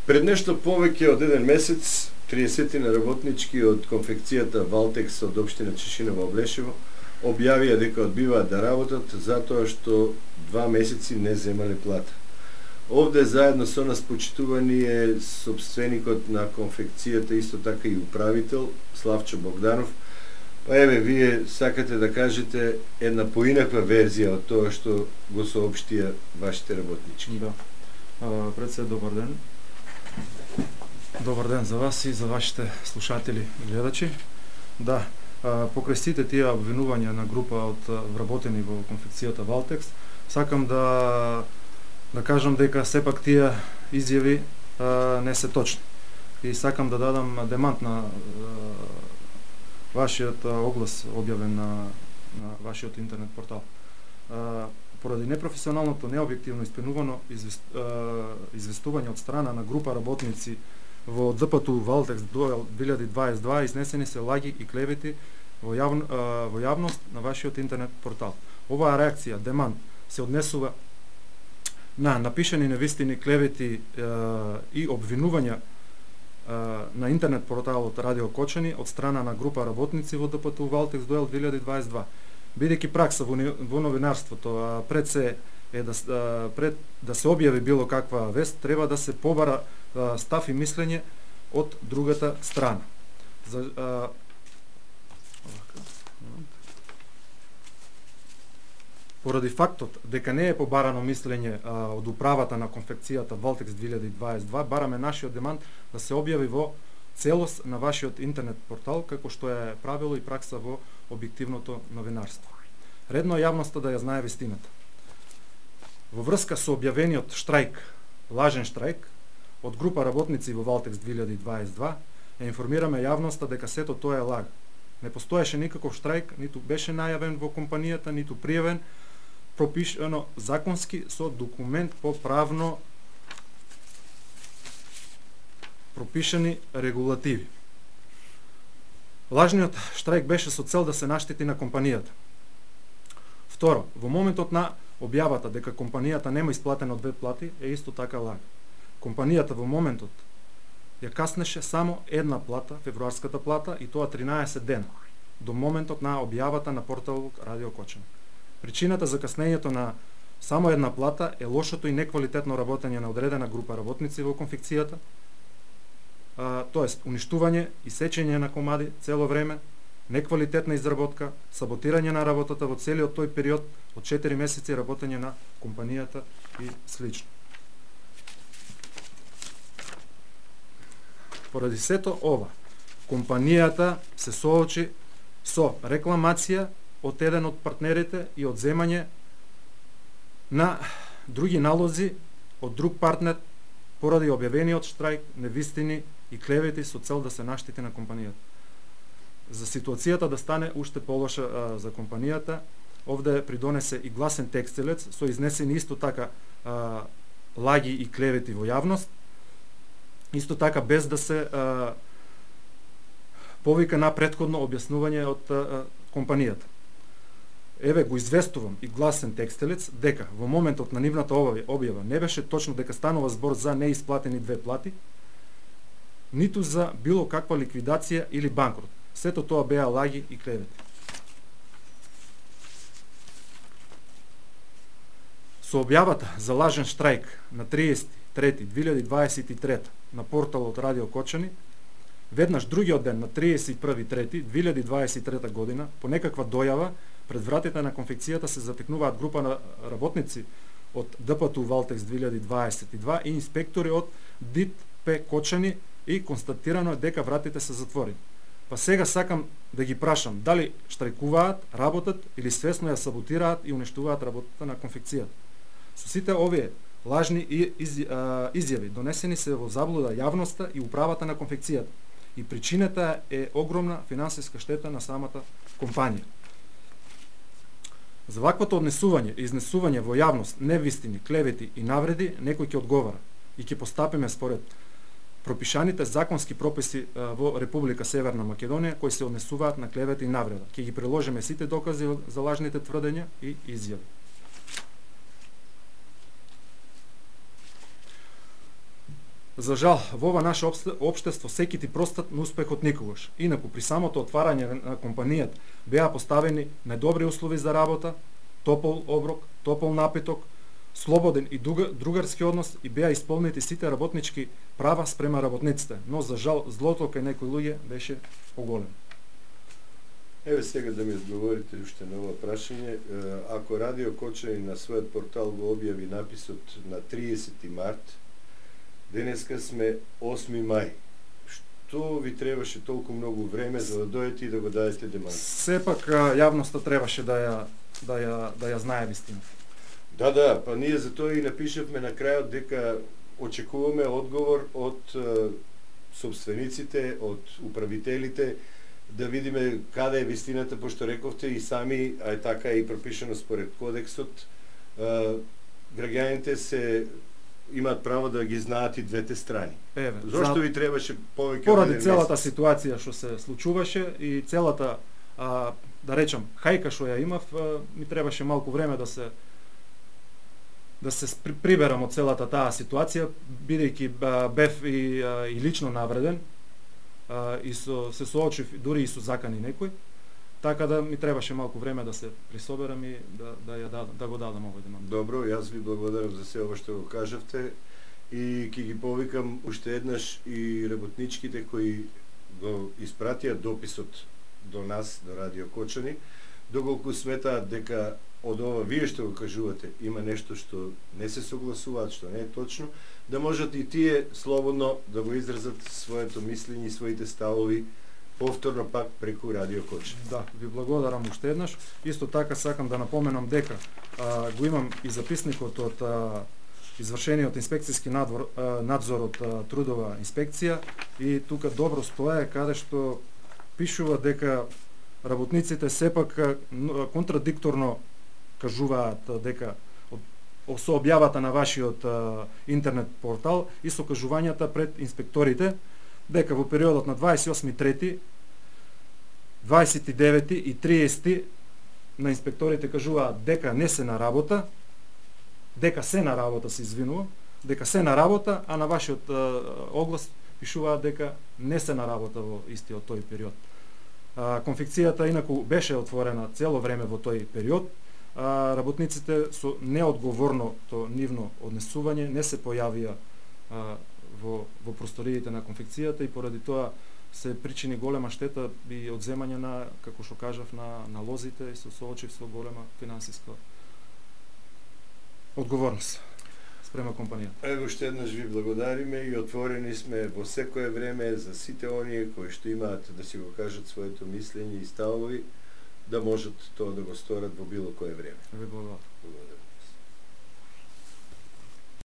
Пред нешто повеќе од еден месец, 30 работнички од конфекцијата Валтекс од општина Чешиново Облешево објавија дека одбиваат да работат затоа што 2 месеци не земале плата. Овде заедно со нас почитувани е собственикот на конфекцијата, исто така и управител Славчо Богданов. Па еве, вие сакате да кажете една поинаква верзија од тоа што го соопштија вашите работнички. Да. Пред се, добар ден. Добар ден за вас и за вашите слушатели и гледачи. Да, покрај сите тие обвинувања на група од вработени во конфекцијата Валтекс, сакам да кажам дека сепак тие изјави не се точни. И сакам да дадам демант на вашиот оглас објавен на вашиот интернет портал. Поради непрофесионалното, необјективно испенувано известување од страна на група работници во ДПТУ Валтекс 2022 изнесени се лаги и клевети во јавност на вашиот интернет портал. Оваа реакција, демант, се однесува на напишани невистини, клевети и обвинувања на интернет порталот Радио Кочани од страна на група работници во ДПТУ Валтекс 2022. Бидејќи пракса во новинарството, пред да се објави било каква вест, треба да се побара став и мислење од другата страна. Поради фактот дека не е побарано мислење од управата на конфекцијата Валтекс 2022, бараме нашиот демант да се објави во целост на вашиот интернет портал, како што е правило и пракса во објективното новинарство. Редно е јавноста да ја знае вистината. Во врска со објавениот штрајк, лажен штрајк, од група работници во Валтекс 2022, ја информираме јавноста дека сето тоа е лага. Не постоеше никаков штрајк, ниту беше најавен во компанијата, ниту пријавен, пропишано законски со документ по правно пропишани регулативи. Лажниот штрајк беше со цел да се наштети на компанијата. Второ, во моментот на објавата дека компанијата нема исплатено 2 плати е исто така лага. Компанијата во моментот ја каснеше само една плата, февруарската плата, и тоа 13 дена, до моментот на објавата на порталот Радио Кочани. Причината за каснењето на само една плата е лошото и неквалитетно работење на одредена група работници во конфекцијата, тоест уништување и сечење на комади цело време, неквалитетна изработка, саботирање на работата во целиот тој период од 4 месеци работење на компанијата и слично. Поради сето ова, компанијата се соочи со рекламација од еден од партнерите и од земање на други налози од друг партнер поради објавениот штрајк, невистини и клевети со цел да се наштети на компанијата. За ситуацијата да стане уште полоша за компанијата, овде придонесе и гласен текстилец со изнесени исто така лаги и клевети во јавност, исто така без да се повика на претходно објаснување од компанијата. Еве го известувам и гласен текстилец дека во моментот на нивната објава не беше точно дека станува збор за неисплатени 2 плати, ниту за било каква ликвидација или банкрот. Сето тоа беа лаги и клевети. Со објавата за лажен штрајк на 30.3.2023 на порталот Радио Кочани, веднаш другиот ден на 31.3.2023 година, по некаква дојава, пред вратите на конфекцијата се затекнуваат група на работници од ДПТУ Валтекс 2022 и инспектори од ДИТП Кочани и констатирано е дека вратите се затворени. Па сега сакам да ги прашам дали штрајкуваат, работат или свесно ја саботираат и уништуваат работата на конфекцијата. Со сите овие лажни изјави донесени се во заблуда јавноста и управата на конфекцијата и причината е огромна финансиска штета на самата компанија. За ваквото однесување и изнесување во јавност невистини, клевети и навреди некој ќе одговара и ќе постапиме според пропишаните законски прописи во Република Северна Македонија кои се однесуваат на клевета и навреда. Ќе ги приложиме сите докази за лажните тврдења и изјави. За жал, во ова наше општество секи ти простат на успехот никогаш. Инаку при самото отварање на компанијата беа поставени најдобри услови за работа, топол оброк, топол напиток, слободен и другарски однос и беа исполнети сите работнички права спрема работниците, но за жал злото кај некои луѓе беше поголемо. Еве сега да ми одговорите уште на ова прашање. Ако Радио Кочани на својот портал го објави написот на 30 март, денеска сме 8 мај. Што ви требаше толку многу време за да дојдете и да го дадете демант? Сепак јавноста требаше да ја знае вистината. Да, па ние за тоа и напишавме на крајот дека очекуваме одговор од собствениците, од управителите, да видиме каде е вистината, пошто рековте и сами, а е така и пропишано според кодексот, граѓаните имаат право да ги знаат и двете страни. Зошто ви требаше повеќе? Поради целата ситуација што се случуваше и целата, да речам, хајка што ја имав, ми требаше малку време да се приберам од целата таа ситуација, бидејќи бев и лично навреден, и се соочив дури и со закани некој, така да ми требаше малку време да се присоберам и да го дадам овој демант. Добро, јас ви благодарам за се ова што го кажавте и ќе ги повикам уште еднаш и работничките кои го испратија дописот до нас, до Радио Кочани, доколку сметаат дека од ова вие што го кажувате има нешто што не се согласуваат, што не е точно, да можат и тие слободно да го изразат своето мислење и своите ставови повторно пак преку Радио Кочани. Да, ви благодарам уште еднаш. Исто така сакам да напоменам дека го имам и записникот од извршениот инспекцијски надзор од трудова инспекција и тука добро стоја каде што пишува дека работниците сепак контрадикторно кажуваат дека со објавата на вашиот интернет портал и со кажувањата пред инспекторите дека во периодот на 28.3, 29 и 30 на инспекторите кажуваат дека не се на работа, дека се на работа, се извинувам, дека се на работа, а на вашиот оглас пишуваат дека не се на работа во истиот тој период. Конфекцијата инаку беше отворена цело време во тој период. Работниците со неодговорното нивно однесување не се појавија во просториите на конфекцијата и поради тоа се причини голема штета и одземање на, како што кажав, на лозите и се соочив со голема финансиска одговорност спрема компанијата. Ево уште еднаш ви благодариме и отворени сме во секое време за сите оние кои што имаат да си го кажат своето мислење и ставови, да можат тоа да го сторат во било кое време. Ви благодарам.